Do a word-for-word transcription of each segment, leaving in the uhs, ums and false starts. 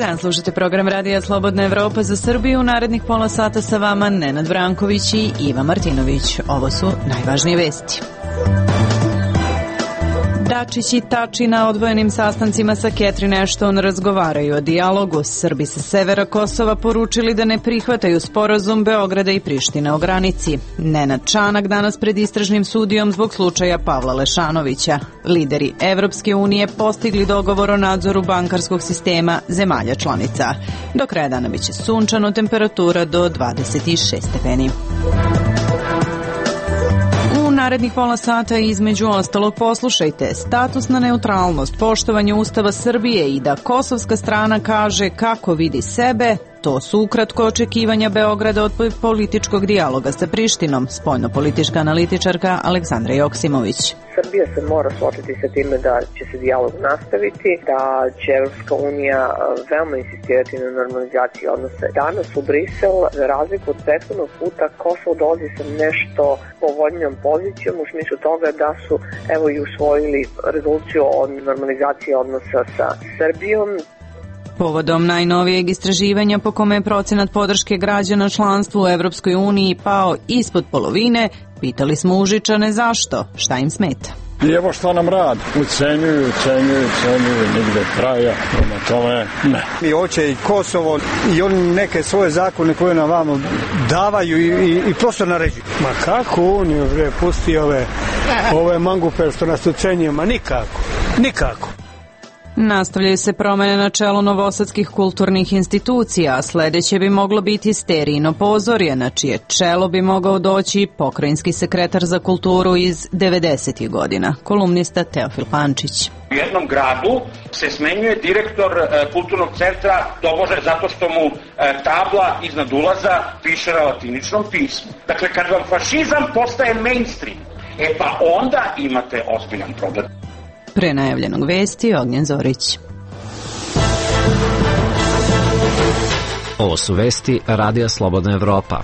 dan, slušate program Radija Slobodna Evropa za Srbiju. Narednih pola sata sa vama Nenad Branković i Iva Martinović. Ovo su najvažnije vesti. Dačić i Tači na odvojenim sastancima sa Catherine Ashton razgovaraju o dijalogu. Srbi sa severa Kosova poručili da ne prihvataju sporazum Beograda i Prištine o granici. Nenad Čanak danas pred istražnim sudijom zbog slučaja Pavla Lešanovića. Lideri Evropske unije postigli dogovor o nadzoru bankarskog sistema zemalja članica. Do kraja dana biće sunčano, temperatura do dvadeset šest stepeni. Narednih pola sata između ostalog poslušajte statusna neutralnost, poštovanje Ustava Srbije i da kosovska strana kaže kako vidi sebe. To su ukratko očekivanja Beograda od političkog dijaloga sa Prištinom, spoljno-politička analitičarka Aleksandra Joksimović. Srbija se mora suočiti sa time da će se dijalog nastaviti, da će Evropska unija veoma insistirati na normalizaciji odnosa. Danas u Brisel, za razliku od prethodnog puta, Kosovo dolazi sa nešto povoljnijom pozicijom u smislu toga da su evo i usvojili rezoluciju o normalizaciji odnosa sa Srbijom. Povodom najnovijeg istraživanja po kome je procenat podrške građana članstvu u Evropskoj uniji pao ispod polovine, pitali smo Užičane zašto, šta im smeta. I evo što nam rad, ucenjuju, ucenjuju, ucenjuju, nigde kraja, prema tome ne. I hoće i Kosovo i oni neke svoje zakone koje nam vamo davaju i, i, i prosto naređuju. Ma kako Uniju, bre, pusti ove, ove mangupe što nas ucenjuju, ma nikako, nikako. Nastavljaju se promene na čelu novosadskih kulturnih institucija, a sledeće bi moglo biti Sterijino pozorje, na čije čelo bi mogao doći pokrajinski sekretar za kulturu iz devedesetih godina, kolumnista Teofil Pančić. U jednom gradu se smenjuje direktor e, kulturnog centra tobože zato što mu e, tabla iznad ulaza piše na latiničnom pismu. Dakle, kad vam fašizam postaje mainstream, e pa onda imate ozbiljan problem. Pre najavljenog vesti, Ognjen Zorić. Ovo su vesti Radija Slobodna Evropa.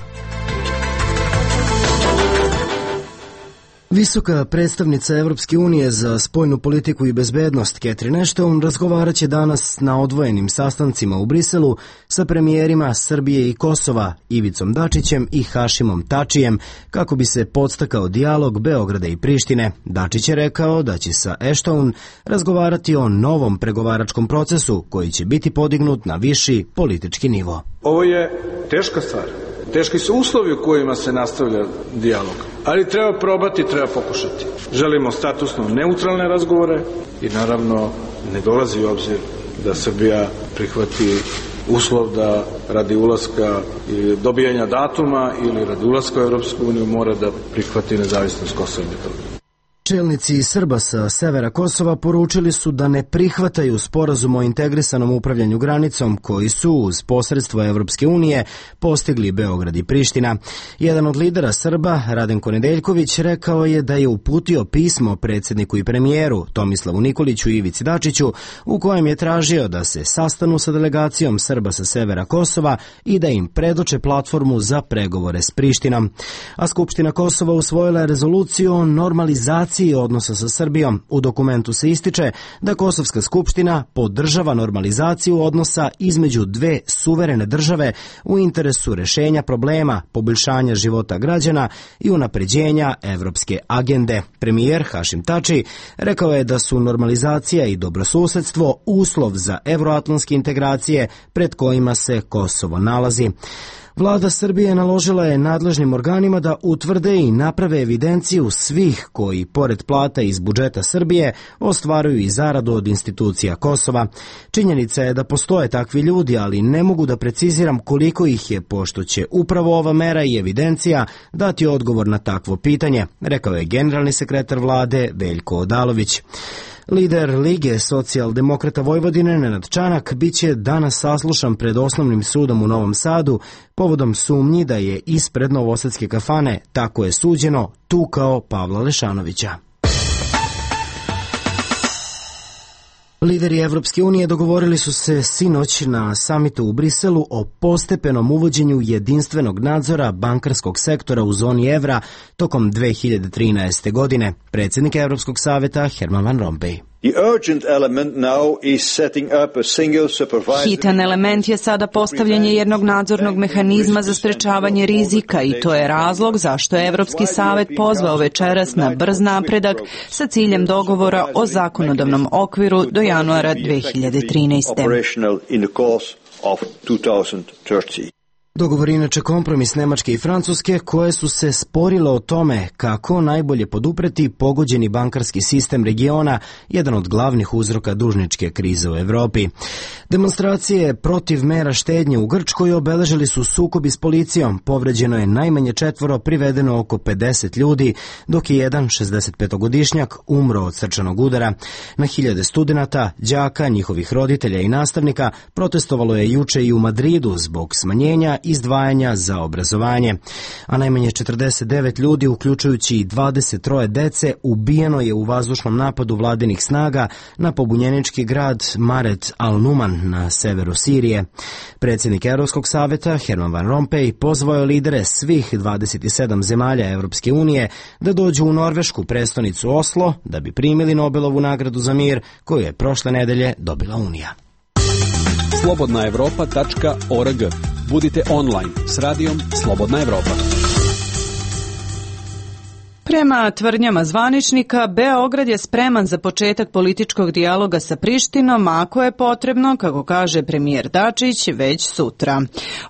Visoka predstavnica Evropske unije za spoljnu politiku i bezbednost Catherine Ashton razgovarat će danas na odvojenim sastancima u Briselu sa premijerima Srbije i Kosova Ivicom Dačićem i Hašimom Tačijem kako bi se podstakao dijalog Beograda i Prištine. Dačić je rekao da će sa Ashton razgovarati o novom pregovaračkom procesu koji će biti podignut na viši politički nivo. Ovo je teška stvar. Teški su uslovi u kojima se nastavlja dijalog, ali treba probati, treba pokušati. Želimo statusno neutralne razgovore i naravno ne dolazi u obzir da Srbija prihvati uslov da radi ulaska ili dobijanja datuma ili radi ulaska u Evropsku uniju mora da prihvati nezavisnost Kosova i Metohije. Čelnici Srba sa severa Kosova poručili su da ne prihvataju sporazum o integrisanom upravljanju granicom koji su uz posredstvo Evropske unije postigli Beograd i Priština. Jedan od lidera Srba, Radenko Nedeljković, rekao je da je uputio pismo predsjedniku i premijeru Tomislavu Nikoliću i Ivici Dačiću u kojem je tražio da se sastanu sa delegacijom Srba sa severa Kosova i da im predoče platformu za pregovore s Prištinom. A Skupština Kosova usvojila je rezoluciju o normalizaciji odnosa sa Srbijom. U dokumentu se ističe da Kosovska skupština podržava normalizaciju odnosa između dve suverene države u interesu rešenja problema, poboljšanja života građana i unapređenja evropske agende. Premijer Hašim Tači rekao je da su normalizacija i dobrosusedstvo uslov za evroatlantske integracije pred kojima se Kosovo nalazi. Vlada Srbije naložila je nadležnim organima da utvrde i naprave evidenciju svih koji, pored plata iz budžeta Srbije, ostvaruju i zaradu od institucija Kosova. Činjenica je da postoje takvi ljudi, ali ne mogu da preciziram koliko ih je, pošto će upravo ova mera i evidencija dati odgovor na takvo pitanje, rekao je generalni sekretar vlade Veljko Odalović. Lider Lige socijaldemokrata Vojvodine Nenad Čanak biće danas saslušan pred Osnovnim sudom u Novom Sadu povodom sumnji da je ispred novosadske kafane, tako je suđeno, tukao Pavla Lešanovića. Lideri Evropske unije dogovorili su se sinoć na samitu u Briselu o postepenom uvođenju jedinstvenog nadzora bankarskog sektora u zoni evra tokom dve hiljade trinaeste. godine. Predsjednik Evropskog saveta Herman Van Rompuy. Hitan element je sada postavljanje jednog nadzornog mehanizma za sprečavanje rizika i to je razlog zašto je Evropski savet pozvao večeras na brz napredak sa ciljem dogovora o zakonodavnom okviru do januara dve hiljade trinaeste. Dogovor je inače kompromis Nemačke i Francuske koje su se sporile o tome kako najbolje podupreti pogođeni bankarski sistem regiona, jedan od glavnih uzroka dužničke krize u Evropi. Demonstracije protiv mera štednje u Grčkoj obeležili su sukobi s policijom, povređeno je najmanje četvoro, privedeno oko pedeset ljudi, dok je jedan šezdesetpetogodišnjak umro od srčanog udara. Na hiljade studenata, đaka, njihovih roditelja i nastavnika protestovalo je juče i u Madridu zbog smanjenja izdvajanja za obrazovanje, a najmanje četrdeset devet ljudi, uključujući i dvadeset troje dece, ubijeno je u vazdušnom napadu vladinih snaga na pobunjenički grad Maret al-Numan na severu Sirije. Predsjednik Evropskog saveta Herman Van Rompuy pozvao je lidere svih dvadeset sedam zemalja Evropske unije da dođu u norvešku prestonicu Oslo da bi primili Nobelovu nagradu za mir koju je prošle nedelje dobila Unija. slobodna evropa tačka org. Budite online s radijom Slobodna Evropa. Prema tvrdnjama zvaničnika, Beograd je spreman za početak političkog dijaloga sa Prištinom, ako je potrebno, kako kaže premijer Dačić, već sutra.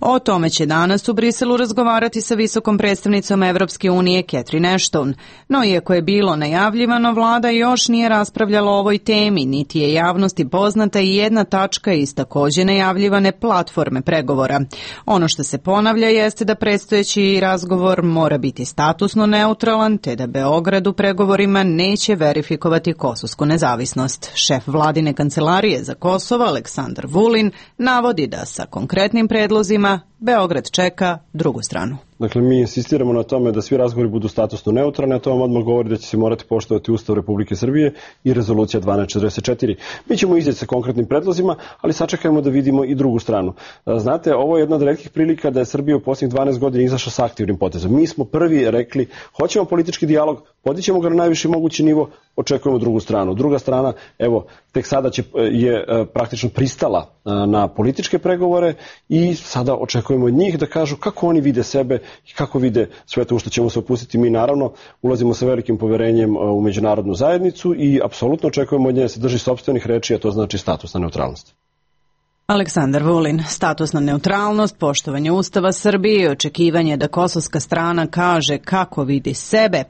O tome će danas u Briselu razgovarati sa visokom predstavnicom Evropske unije Catherine Ashton. No, iako je bilo najavljivano, vlada još nije raspravljala o ovoj temi, niti je javnosti poznata i jedna tačka iz takođe najavljivane platforme pregovora. Ono što se ponavlja jeste da predstojeći razgovor mora biti statusno neutralan, te da Beograd u pregovorima neće verifikovati kosovsku nezavisnost. Šef vladine kancelarije za Kosovo, Aleksandar Vulin, navodi da sa konkretnim predlozima Beograd čeka drugu stranu. Dakle, mi insistiramo na tome da svi razgovori budu statusno neutralni, a to vam odmah govori da će se morati poštovati Ustav Republike Srbije i rezolucija dvanaest četrdeset četiri. Mi ćemo izaći sa konkretnim predlozima, ali sačekajmo da vidimo i drugu stranu. Znate, ovo je jedna od retkih prilika da je Srbija u posljednjih dvanaest godina izašla sa aktivnim potezom. Mi smo prvi rekli, hoćemo politički dijalog, podićemo ga na najviši mogući nivo, očekujemo drugu stranu. Druga strana, evo, tek sada će, je praktično pristala na političke pregovore i sada očekujemo od njih da kažu kako oni vide sebe i kako vide sve to u što ćemo se opustiti. Mi naravno ulazimo sa velikim poverenjem u međunarodnu zajednicu i apsolutno očekujemo od nje da se drži sopstvenih reči, a to znači statusna neutralnost. Aleksandar Vulin, statusna neutralnost, poštovanje Ustava Srbije i očekivanje da kosovska strana kaže kako vidi sebe,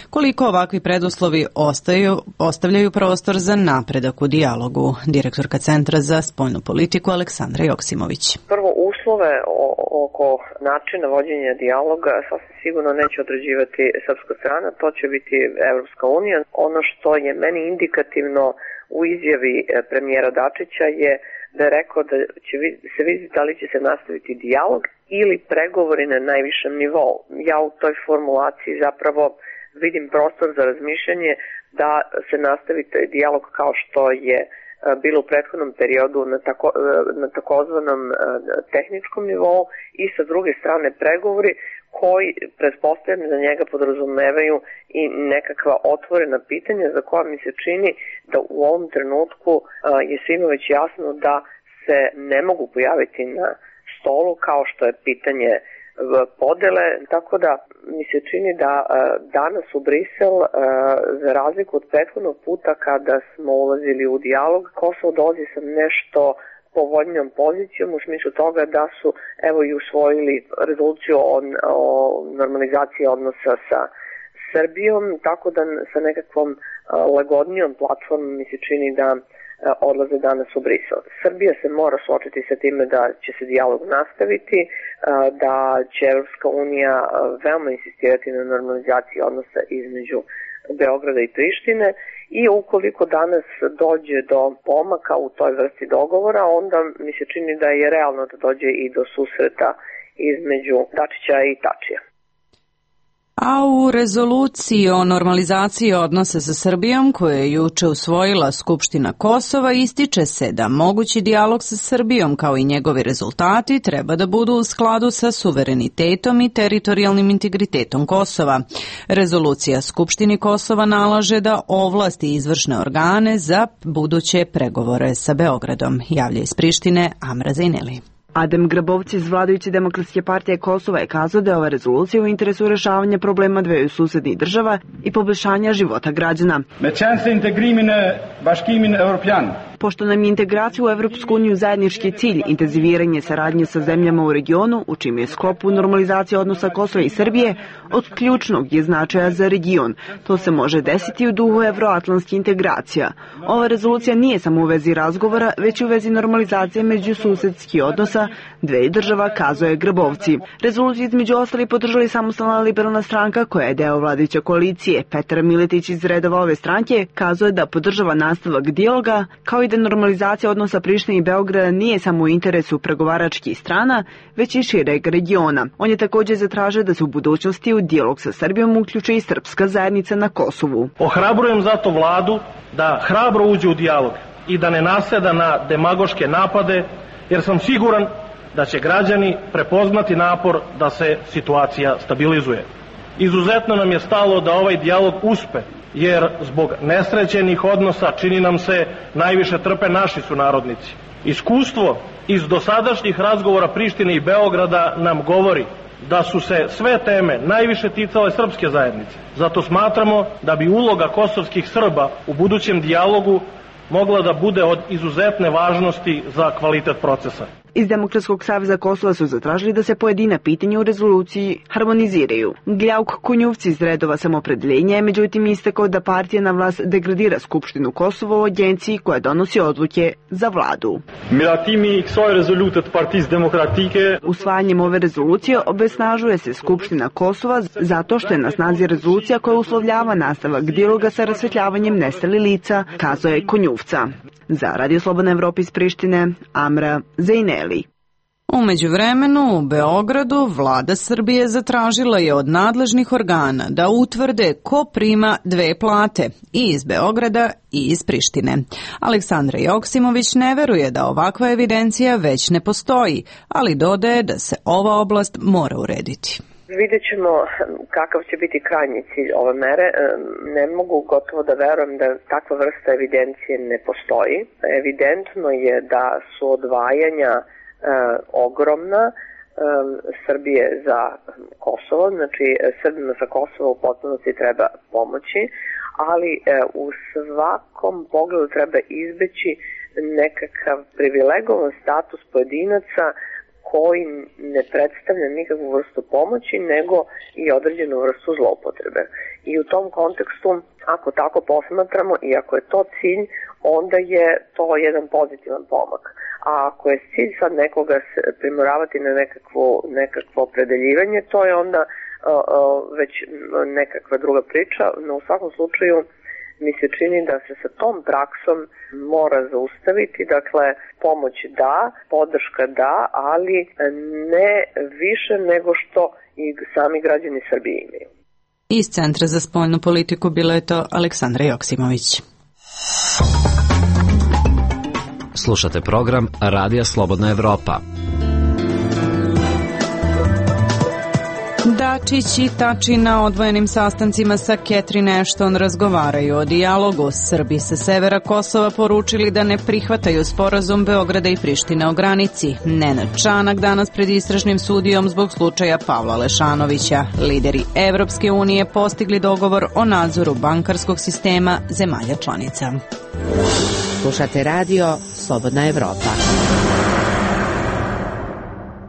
koliko ovakvi preduslovi ostaju, ostavljaju prostor za napredak u dijalogu. Direktorka Centra za spoljnu politiku Aleksandra Joksimović. Prvo, uslove oko načina vođenja dijaloga sasvim sigurno neće određivati srpska strana, to će biti Evropska unija. Ono što je meni indikativno u izjavi premijera Dačića je da je rekao da će se vidjeti da li će se nastaviti dijalog ili pregovori na najvišem nivou. Ja u toj formulaciji zapravo vidim prostor za razmišljanje da se nastavi dijalog kao što je bilo u prethodnom periodu na, tako, na takozvanom tehničkom nivou i sa druge strane pregovori koji pretpostavljam za njega podrazumevaju i nekakva otvorena pitanja za koja mi se čini da u ovom trenutku je svima već jasno da se ne mogu pojaviti na stolu kao što je pitanje podele, tako da mi se čini da danas u Brisel, za razliku od prethodnog puta kada smo ulazili u dijalog, Kosovo dolazi sa nešto povoljnijom pozicijom u smislu toga da su evo i usvojili rezoluciju o, o normalizaciji odnosa sa Srbijom, tako da sa nekakvom lagodnijom platformom mi se čini da odlaze danas u Brisel. Srbija se mora suočiti sa time da će se dijalog nastaviti, da će Evropska unija veoma insistirati na normalizaciji odnosa između Beograda i Prištine i ukoliko danas dođe do pomaka u toj vrsti dogovora, onda mi se čini da je realno da dođe i do susreta između Dačića i Tačija. A u rezoluciji o normalizaciji odnosa sa Srbijom, koju je juče usvojila Skupština Kosova, ističe se da mogući dijalog sa Srbijom kao i njegovi rezultati treba da budu u skladu sa suverenitetom i teritorijalnim integritetom Kosova. Rezolucija Skupštini Kosova nalaže da ovlasti izvršne organe za buduće pregovore sa Beogradom. Javlja iz Prištine Amra Zajneli. Adem Grabovci iz vladajuće Demokratske partije Kosova je kazao da je ova rezolucija u interesu rešavanja problema dveju susednih država i poboljšanja života građana. Pošto nam je integracija u Evropsku uniju zajednički cilj, intenziviranje saradnje sa zemljama u regionu, u čim je sklopu normalizacija odnosa Kosova i Srbije, od ključnog je značaja za region. To se može desiti u duhu evroatlantskih integracija. Ova rezolucija nije samo u vezi razgovora, već i u vezi normalizacije međususedskih odnosa dve država, kazao je Grabovci. Rezoluciju između ostali podržali Samostalna liberalna stranka koja je deo vladajuće koalicije. Petar Miletić iz redova ove stranke kazao je da podržava nastavak dijaloga, kao i da normalizacija odnosa Prištine i Beograda nije samo u interesu pregovaračkih strana, već i šireg regiona. On je također zatražio da se u budućnosti u dijalog sa Srbijom uključi i srpska zajednica na Kosovu. Ohrabrujem zato vladu da hrabro uđe u dijalog i da ne naseda na demagoške napade, jer sam siguran da će građani prepoznati napor da se situacija stabilizuje. Izuzetno nam je stalo da ovaj dijalog uspe, jer zbog nesrećenih odnosa čini nam se najviše trpe naši sunarodnici. Iskustvo iz dosadašnjih razgovora Prištine i Beograda nam govori da su se sve teme najviše ticale srpske zajednice. Zato smatramo da bi uloga kosovskih Srba u budućem dijalogu mogla da bude od izuzetne važnosti za kvalitet procesa. Iz Demokratskog saveza Kosova su zatražili da se pojedina pitanja u rezoluciji harmoniziraju. Gljauk Konjuvci iz redova Samopredeljenja je međutim istakao da partija na vlast degradira Skupštinu Kosova u agenciji koja donosi odluke za vladu. Usvajanjem ove rezolucije obesnažuje se Skupština Kosova zato što je na snazi rezolucija koja uslovljava nastavak dijaloga sa rasvetljavanjem nestalih lica, kazao je Konjuvca. Za Radio Slobodna Evropa iz Prištine, Amra Zajneli. U međuvremenu u Beogradu vlada Srbije zatražila je od nadležnih organa da utvrde ko prima dve plate, i iz Beograda i iz Prištine. Aleksandra Joksimović ne veruje da ovakva evidencija već ne postoji, ali dodaje da se ova oblast mora urediti. Vidjet ćemo kakav će biti krajnji cilj ove mere. Ne mogu gotovo da verujem da takva vrsta evidencije ne postoji. Evidentno je da su odvajanja e, ogromna e, Srbije za Kosovo, znači Srbima sa Kosova u potpunosti treba pomoći, ali e, u svakom pogledu treba izbeći nekakav privilegovan status pojedinaca koji ne predstavlja nikakvu vrstu pomoći, nego i određenu vrstu zloupotrebe. I u tom kontekstu, ako tako posmatramo i ako je to cilj, onda je to jedan pozitivan pomak. A ako je cilj sad nekoga primoravati na nekakvo, nekakvo opredeljivanje, to je onda uh, uh, već nekakva druga priča, no u svakom slučaju mi se čini da se sa tom praksom mora zaustaviti, dakle pomoć da, podrška da, ali ne više nego što i sami građani Srbije imaju. Iz Centra za spoljnu politiku bila je to Aleksandra Joksimović. Slušate program Radija Slobodna Evropa. Dačić i Tači na odvojenim sastancima sa Catherine Ashton razgovaraju o dijalogu. Srbi sa severa Kosova poručili da ne prihvataju sporazum Beograda i Prištine o granici. Nenad Čanak danas pred istražnim sudijom zbog slučaja Pavla Lešanovića. Lideri Evropske unije postigli dogovor o nadzoru bankarskog sistema zemalja članica. Slušate radio Slobodna Evropa.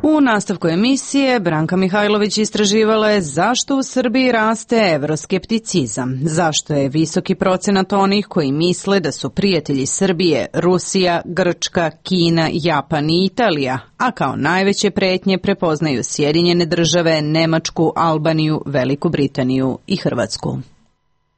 U nastavku emisije Branka Mihajlović istraživala je zašto u Srbiji raste evroskepticizam, zašto je visoki procenat onih koji misle da su prijatelji Srbije Rusija, Grčka, Kina, Japan i Italija, a kao najveće pretnje prepoznaju Sjedinjene države, Nemačku, Albaniju, Veliku Britaniju i Hrvatsku.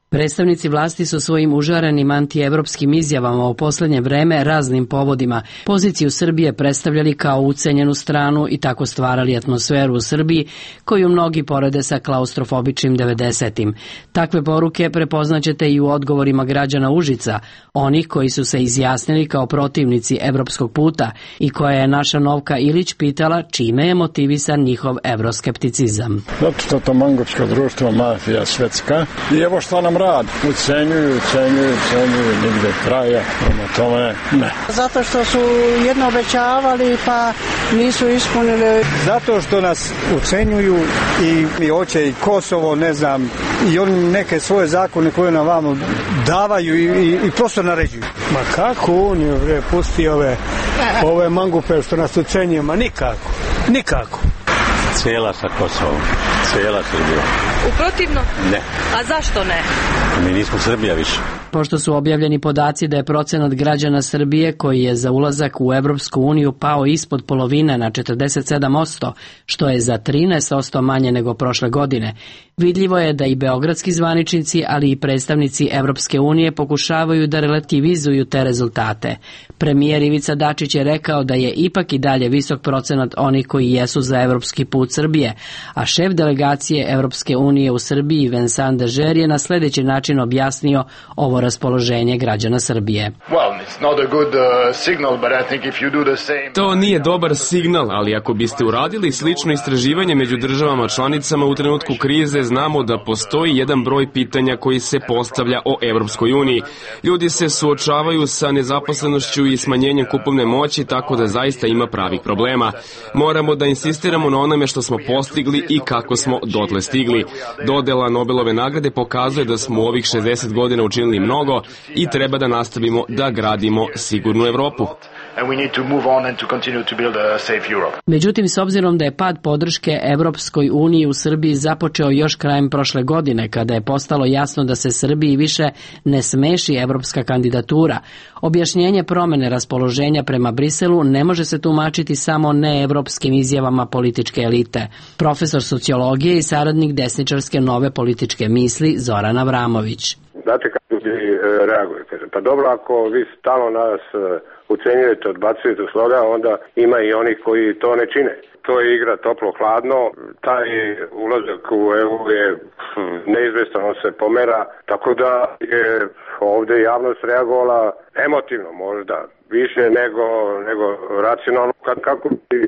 Predstavnici vlasti su svojim užarenim antievropskim izjavama u poslednje vreme raznim povodima poziciju Srbije predstavljali kao ucenjenu stranu i tako stvarali atmosferu u Srbiji koju mnogi porede sa klaustrofobičnim devedesetim. Takve poruke prepoznaćete i u odgovorima građana Užica, onih koji su se izjasnili kao protivnici evropskog puta i koja je naša Novka Ilić pitala čime je motivisan njihov evroskepticizam. Zato što to mangučko društvo, mafija svetska i evo što nam rad. Ucenjuju, ucenjuju, ucenjuju, nigde kraja, prema tome ne. Zato što su jedno obećavali pa nisu ispunili. Zato što nas ucenjuju i, i hoće i Kosovo, ne znam, i oni neke svoje zakone koje nam vamo davaju i, i, i prosto naređuju. Ma kako Uniju, bre, pusti ove, ove mangupe što nas ucenjuju, ma nikako, nikako. Cijela sa Kosovom, cijela Srbija. U protivno? Ne. A zašto ne? Mi nismo Srbija više. Pošto su objavljeni podaci da je procenat građana Srbije koji je za ulazak u Evropsku uniju pao ispod polovine na četrdeset sedam posto, što je za trinaest posto manje nego prošle godine, vidljivo je da i beogradski zvaničnici, ali i predstavnici Evropske unije pokušavaju da relativizuju te rezultate. Premijer Ivica Dačić je rekao da je ipak i dalje visok procenat onih koji jesu za evropski put Srbije, a šef delegacije Evropske unije u Srbiji Vincent Dežer je na sljedeći način objasnio ovo raspoloženje građana Srbije. To nije dobar signal, ali ako biste uradili slično istraživanje među državama članicama u trenutku krize, znamo da postoji jedan broj pitanja koji se postavlja o Evropskoj uniji. Ljudi se suočavaju sa nezaposlenošću i smanjenjem kupovne moći, tako da zaista ima pravih problema. Moramo da insistiramo na onome što smo postigli i kako smo dotle stigli. Dodela Nobelove nagrade pokazuje da smo u ovih šezdeset godina učinili mnogo i treba da nastavimo da gradimo sigurnu Evropu. Međutim, s obzirom da je pad podrške Evropskoj uniji u Srbiji započeo još krajem prošle godine, kada je postalo jasno da se Srbiji više ne smeši evropska kandidatura, objašnjenje promene raspoloženja prema Briselu ne može se tumačiti samo neevropskim izjavama političke elite. Profesor sociologije i saradnik desničarske Nove političke misli Zoran Avramović. Znate kako ljudi reaguju? Pa dobro, ako vi stalno nas ucenjujete, odbacujete sloga, onda ima i onih koji to ne čine. To je igra toplo-hladno, taj ulazak u E U je neizvestan, on se pomera, tako da je ovde javnost reagovala emotivno možda, više nego, nego racionalno, kako bi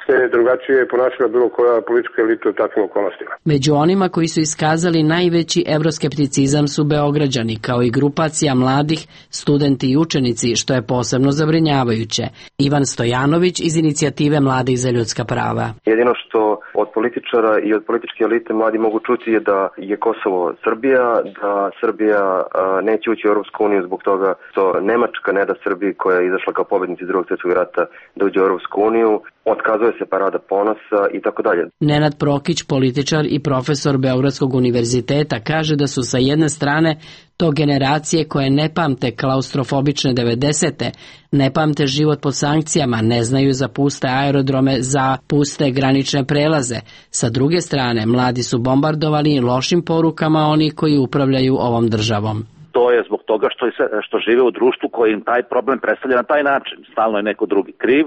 se drugačije ponašala bilo koja politička elita u takvim okolnostima. Među onima koji su iskazali najveći evroskepticizam su Beograđani, kao i grupacija mladih, studenti i učenici, što je posebno zabrinjavajuće. Ivan Stojanović iz inicijative Mladih za ljudska prava. Jedino što od političara i od političke elite mladi mogu čuti je da je Kosovo Srbija, da Srbija a, neće ući u Europsku uniju zbog toga što Nemačka ne da Srbiji, koja je izašla kao pobednici drugog svjetskog rata, da uđe u Europsku uniju, otkazuje se parada ponosa i tako dalje. Nenad Prokić, političar i profesor Beogradskog univerziteta, kaže da su sa jedne strane to generacije koje ne pamte klaustrofobične devedesete, ne pamte život pod sankcijama, ne znaju za puste aerodrome, za puste granične prelaze. Sa druge strane, mladi su bombardovali lošim porukama oni koji upravljaju ovom državom. To je zbog toga što, što žive u društvu koji im taj problem predstavlja na taj način. Stalno je neko drugi kriv.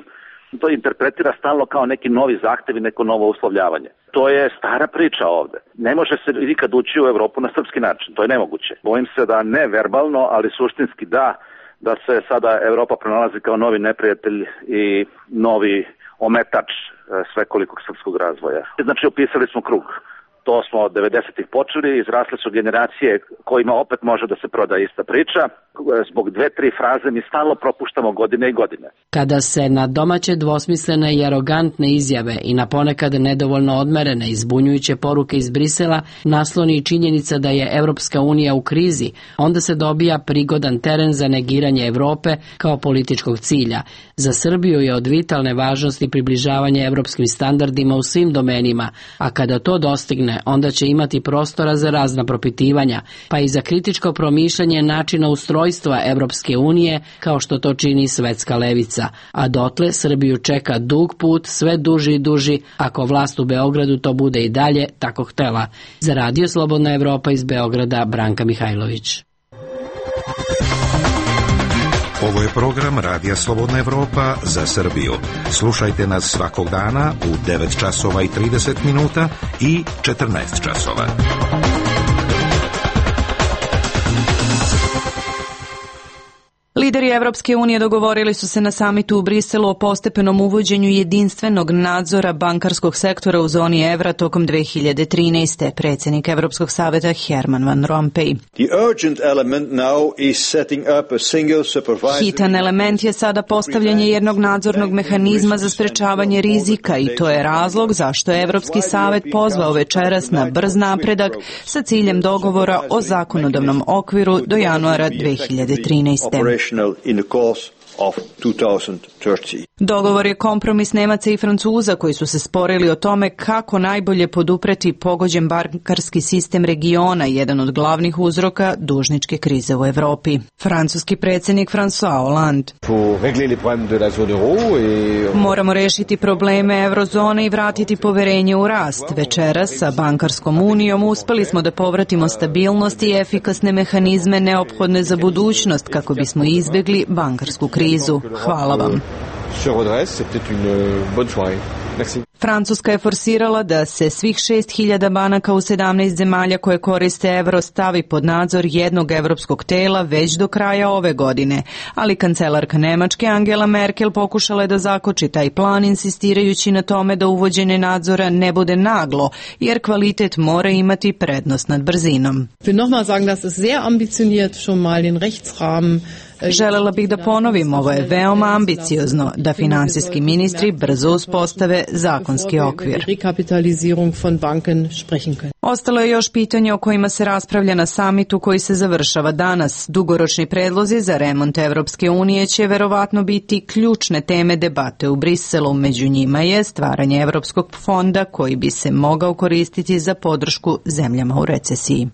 To interpretira stalno kao neki novi zahtev i neko novo uslovljavanje. To je stara priča ovde. Ne može se nikad ući u Evropu na srpski način. To je nemoguće. Bojim se da ne verbalno, ali suštinski da, da se sada Evropa pronalazi kao novi neprijatelj i novi ometač svekolikog srpskog razvoja. Znači, opisali smo krug. To smo od devedesetih počeli, izrasle su generacije kojima opet može da se proda ista priča. Zbog dve, tri fraze mi stalno propuštamo godine i godine. Kada se na domaće dvosmislene i arogantne izjave i na ponekad nedovoljno odmerene i zbunjujuće poruke iz Brisela nasloni i činjenica da je Evropska unija u krizi, onda se dobija prigodan teren za negiranje Evrope kao političkog cilja. Za Srbiju je od vitalne važnosti približavanje evropskim standardima u svim domenima, a kada to dostigne, godine, onda će imati prostora za razna propitivanja, pa i za kritičko promišljanje načina ustrojstva Evropske unije, kao što to čini svetska levica. A dotle Srbiju čeka dug put, sve duži i duži, ako vlast u Beogradu to bude i dalje tako htela. Za Radio Slobodna Evropa iz Beograda, Branka Mihajlović. Ovo je program Radija Slobodna Evropa za Srbiju. Slušajte nas svakog dana u devet časova i trideset minuta i četrnaest časova. Lideri Evropske unije dogovorili su se na samitu u Briselu o postepenom uvođenju jedinstvenog nadzora bankarskog sektora u zoni evra tokom dve hiljade trinaeste. Predsjednik Evropskog saveta Herman Van Rompuy. Hitan element je sada postavljanje jednog nadzornog mehanizma za sprečavanje rizika i to je razlog zašto je Evropski savet pozvao večeras na brz napredak sa ciljem dogovora o zakonodavnom okviru do januara dve hiljade trinaeste. in the course of two thousand thirty. Dogovor je kompromis Nemaca i Francuza koji su se sporili o tome kako najbolje podupreti pogođen bankarski sistem regiona, jedan od glavnih uzroka dužničke krize u Evropi. Francuski predsjednik François Hollande. Moramo rešiti probleme eurozone i vratiti poverenje u rast. Večeras sa bankarskom unijom uspeli smo da povratimo stabilnost i efikasne mehanizme neophodne za budućnost kako bismo izbjegli bankarsku krizu. Hvala vam. Francuska je forsirala da se svih šest hiljada banaka u sedamnaest zemalja koje koriste evro stavi pod nadzor jednog evropskog tela već do kraja ove godine, ali kancelarka Nemačke Angela Merkel pokušala je da zakoči taj plan insistirajući na tome da uvođenje nadzora ne bude naglo, jer kvalitet mora imati prednost nad brzinom. Želela bih da ponovim, ovo je veoma ambiciozno, da finansijski ministri brzo uspostave zakonski okvir. Ostalo je još pitanje o kojima se raspravlja na samitu koji se završava danas. Dugoročni predlozi za remont Evropske unije će verovatno biti ključne teme debate u Briselu. Među njima je stvaranje Evropskog fonda koji bi se mogao koristiti za podršku zemljama u recesiji.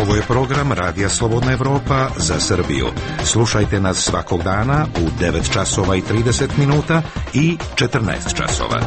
Ovo je program Radija Slobodna Evropa za Srbiju. Slušajte nas svakog dana u devet časova i trideset minuta i četrnaest časova.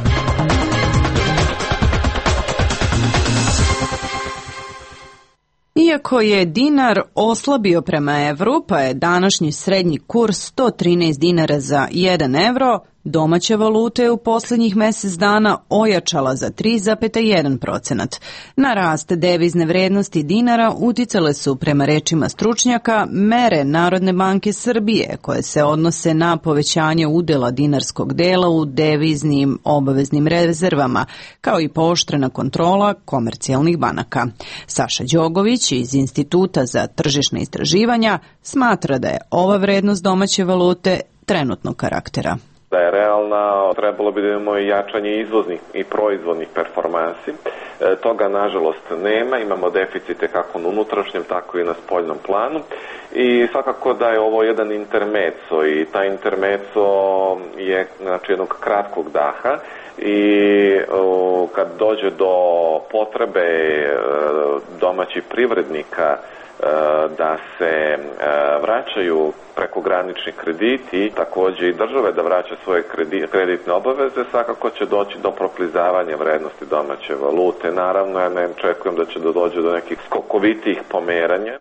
Iako je dinar oslabio prema evru, pa je današnji srednji kurs sto trinaest dinara za jedan evro, domaća valuta je u posljednjih mjesec dana ojačala za tri zarez jedan procenat. Na rast devizne vrednosti dinara uticale su, prema rečima stručnjaka, mere Narodne banke Srbije koje se odnose na povećanje udjela dinarskog dela u deviznim obaveznim rezervama, kao i pooštrena kontrola komercijalnih banaka. Saša Đogović iz Instituta za tržišna istraživanja smatra da je ova vrednost domaće valute trenutnog karaktera. Da je realna, trebalo bi da imamo i jačanje izvoznih i proizvodnih performansi. E, toga nažalost nema, imamo deficite kako na unutrašnjem, tako i na spoljnom planu. I svakako da je ovo jedan intermeco i taj intermeco je znači jednog kratkog daha i o, kad dođe do potrebe e, domaćih privrednika da se vraćaju prekogranični krediti, također i države da vraća svoje kreditne obaveze, svakako će doći do proklizavanja vrednosti domaće valute. Naravno, ja ne očekujem da će doći do nekih skokovitih pomeranja.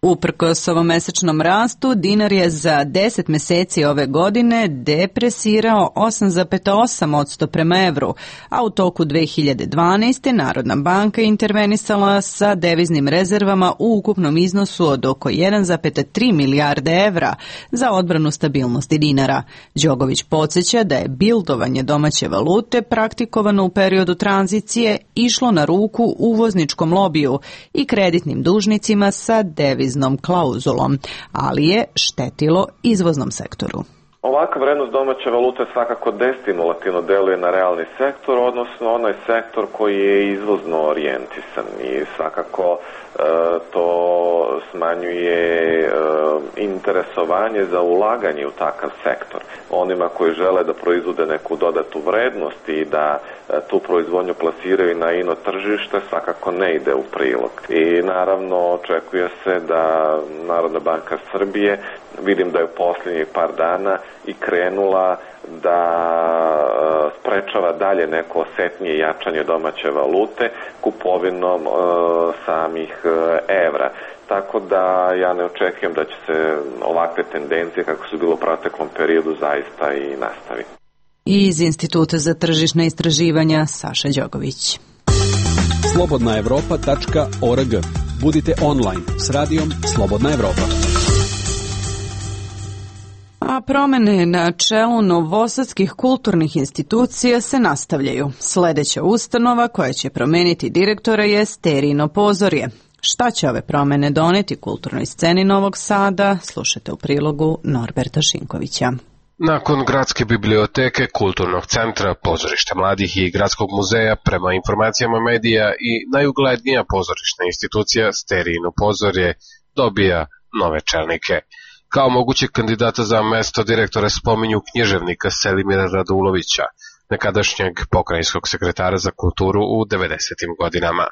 Uprkos ovom mesečnom rastu, dinar je za deset mjeseci ove godine depresirao osam zarez osam posto prema evru, a u toku dve hiljade dvanaeste. Narodna banka intervenisala sa deviznim rezervama u ukupnom iznosu od oko jedan zarez tri milijarde evra za odbranu stabilnosti dinara. Đogović podsjeća da je bildovanje domaće valute praktikovano u periodu tranzicije išlo na ruku uvozničkom lobiju i kreditnim dužnicima sa deviznim klauzulom, ali je štetilo izvoznom sektoru. Ovakva vrednost domaće valute svakako destimulativno deluje na realni sektor, odnosno onaj sektor koji je izvozno orijentisan i svakako e, to smanjuje e, interesovanje za ulaganje u takav sektor. Onima koji žele da proizvode neku dodatu vrednost i da e, tu proizvodnju plasiraju na ino tržište svakako ne ide u prilog. I naravno očekuje se da Narodna banka Srbije, vidim da je u posljednjih par dana i krenula da sprečava dalje neko osetnije jačanje domaće valute kupovinom e, samih evra. Tako da ja ne očekujem da će se ovakve tendencije kako su bilo u proteklom periodu zaista i nastaviti. I iz Instituta za tržišna istraživanja Saša Đogović. slobodna evropa tačka org. Budite online s radijom Slobodna Evropa. A promene na čelu novosadskih kulturnih institucija se nastavljaju. Sledeća ustanova koja će promeniti direktora je Sterijino pozorje. Šta će ove promene doneti kulturnoj sceni Novog Sada? Slušajte u prilogu Norberta Šinkovića. Nakon Gradske biblioteke, Kulturnog centra, Pozorišta mladih i Gradskog muzeja, prema informacijama medija i najuglednija pozorišna institucija Sterijino pozorje dobija nove čelnike. Kao mogućeg kandidata za mesto direktora spominju književnika Selimira Radulovića, nekadašnjeg pokrajinskog sekretara za kulturu u devedesetim godinama.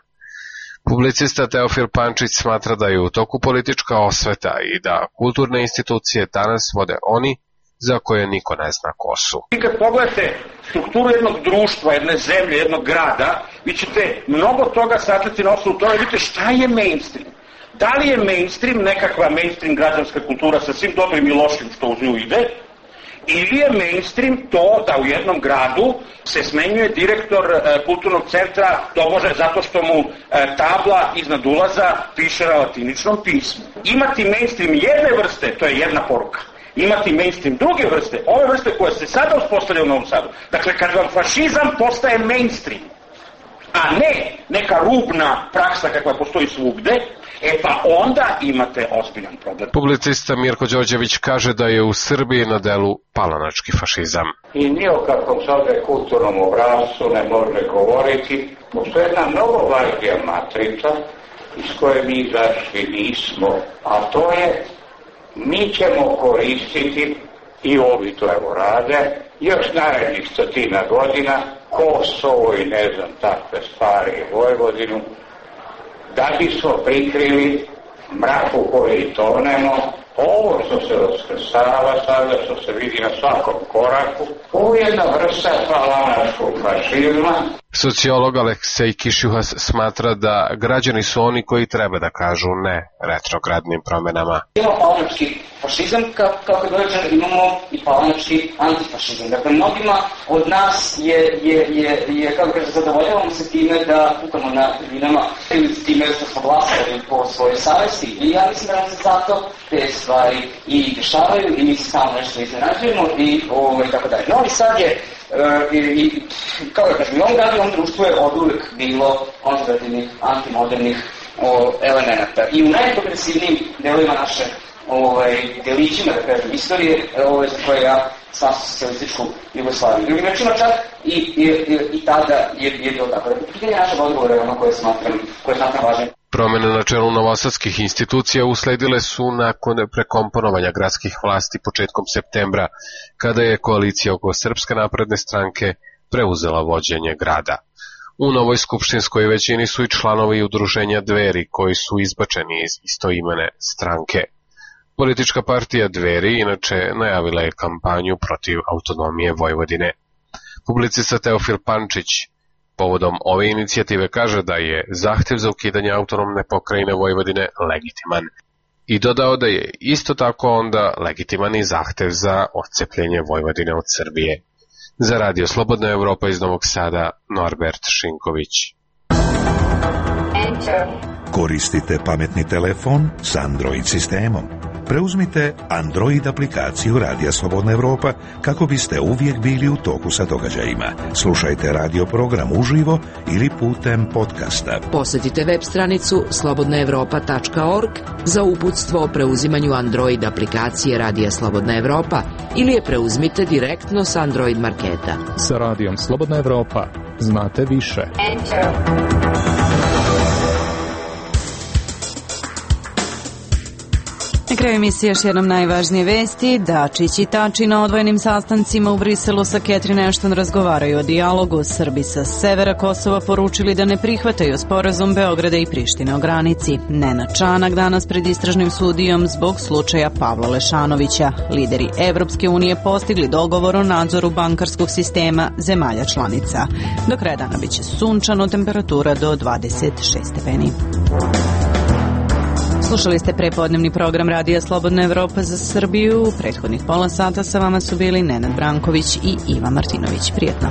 Publicista Teofil Pančić smatra da je u toku politička osveta i da kulturne institucije danas vode oni za koje niko ne zna ko su. I kad pogledate strukturu jednog društva, jedne zemlje, jednog grada, vi ćete mnogo toga saznati na osnovu toga, vidite šta je mainstream. Da li je mainstream nekakva mainstream građanska kultura sa svim dobrim i lošim što uz nju ide, ili je mainstream to da u jednom gradu se smenjuje direktor e, kulturnog centra, tobože zato što mu e, tabla iznad ulaza piše na latiničnom pismu. Imati mainstream jedne vrste, to je jedna poruka. Imati mainstream druge vrste, ove vrste koje se sada uspostavljaju u Novom Sadu. Dakle, kad vam fašizam postaje mainstream, a ne neka rubna praksa kakva postoji svugde, e pa onda imate ozbiljan problem. Publicista Mirko Đorđević kaže da je u Srbiji na delu palanački fašizam. I ni o kakvom sada kulturnom obrazcu ne može govoriti. Postoje jedna mnogo važnija matrica iz koje mi izašli nismo, a to je mi ćemo koristiti, i ovi to evo rade, još narednih stotina godina, Kosovo i ne znam takve stvari Vojvodinu, da bismo prikrili mraku koji tonemo, ovo što se raskrsava sada, što se vidi na svakom koraku, ovo je jedna vrsta palanačkog fašizma. Sociolog Aleksej Kišjuhas smatra da građani su oni koji treba da kažu ne retrogradnim promenama. Imamo palanački fašizam, kao kad dođe imamo i palanački antifašizam. Dakle, mnogima od nas je, je, je, je kako kaže, zadovoljavamo se time da kukamo na tribinama ili time što smo glasali po svojoj savesti. I ja mislim da nam se zato te stvari i dešavaju i mi se samo nešto iznenađujemo i ovaj, tako dalje. Novi Sad je Uh, i, i kao da kažem, i ovom gradu i ovom društvu je od uvek bilo konzervativnih, antimodernih o, elemenata. I u najprogresivnijim delovima naše ovaj, delićima, da kažem, istorije, ovaj, za koje ja sam socijalističku Jugoslaviju. Drugim rečima čak i, i, i, i tada je, je bilo tako. Da pitanje našeg odgovora je ono koje smatram, koje smatram važne. Promene na čelu novosadskih institucija usledile su nakon prekomponovanja gradskih vlasti početkom septembra, kada je koalicija oko Srpske napredne stranke preuzela vođenje grada. U novoj skupštinskoj većini su i članovi udruženja Dveri koji su izbačeni iz istoimene stranke. Politička partija Dveri inače najavila je kampanju protiv autonomije Vojvodine. Publicista Teofil Pančić povodom ove inicijative kaže da je zahtev za ukidanje autonomne pokrajine Vojvodine legitiman i dodao da je isto tako onda legitiman i zahtev za odcepljenje Vojvodine od Srbije. Za Radio Slobodna Evropa iz Novog Sada, Norbert Šinković. Koristite pametni telefon s Android sistemom. preuzmite Android aplikaciju Radija Slobodna Evropa kako biste uvijek bili u toku sa događajima. Slušajte radio program uživo ili putem podcasta. Posjetite web stranicu slobodna evropa tačka org za uputstvo o preuzimanju Android aplikacije Radija Slobodna Evropa ili je preuzmite direktno s Android marketa. Sa Radijom Slobodna Evropa znate više. Na kraju emisije još jednom najvažnije vesti. Dačić i Tači na odvojenim sastancima u Briselu sa Catherine Ashton razgovaraju o dijalogu. Srbi sa severa Kosova poručili da ne prihvataju sporazum Beograda i Prištine o granici. Nenad Čanak danas pred istražnim sudijom zbog slučaja Pavla Lešanovića. Lideri Evropske unije postigli dogovor o nadzoru bankarskog sistema zemalja članica. Do kraja dana biće sunčano, temperatura do dvadeset šest stepeni. Slušali ste prepodnevni program Radija Slobodna Evropa za Srbiju. U prethodnih pola sata sa vama su bili Nenad Branković i Iva Martinović. Prijetno.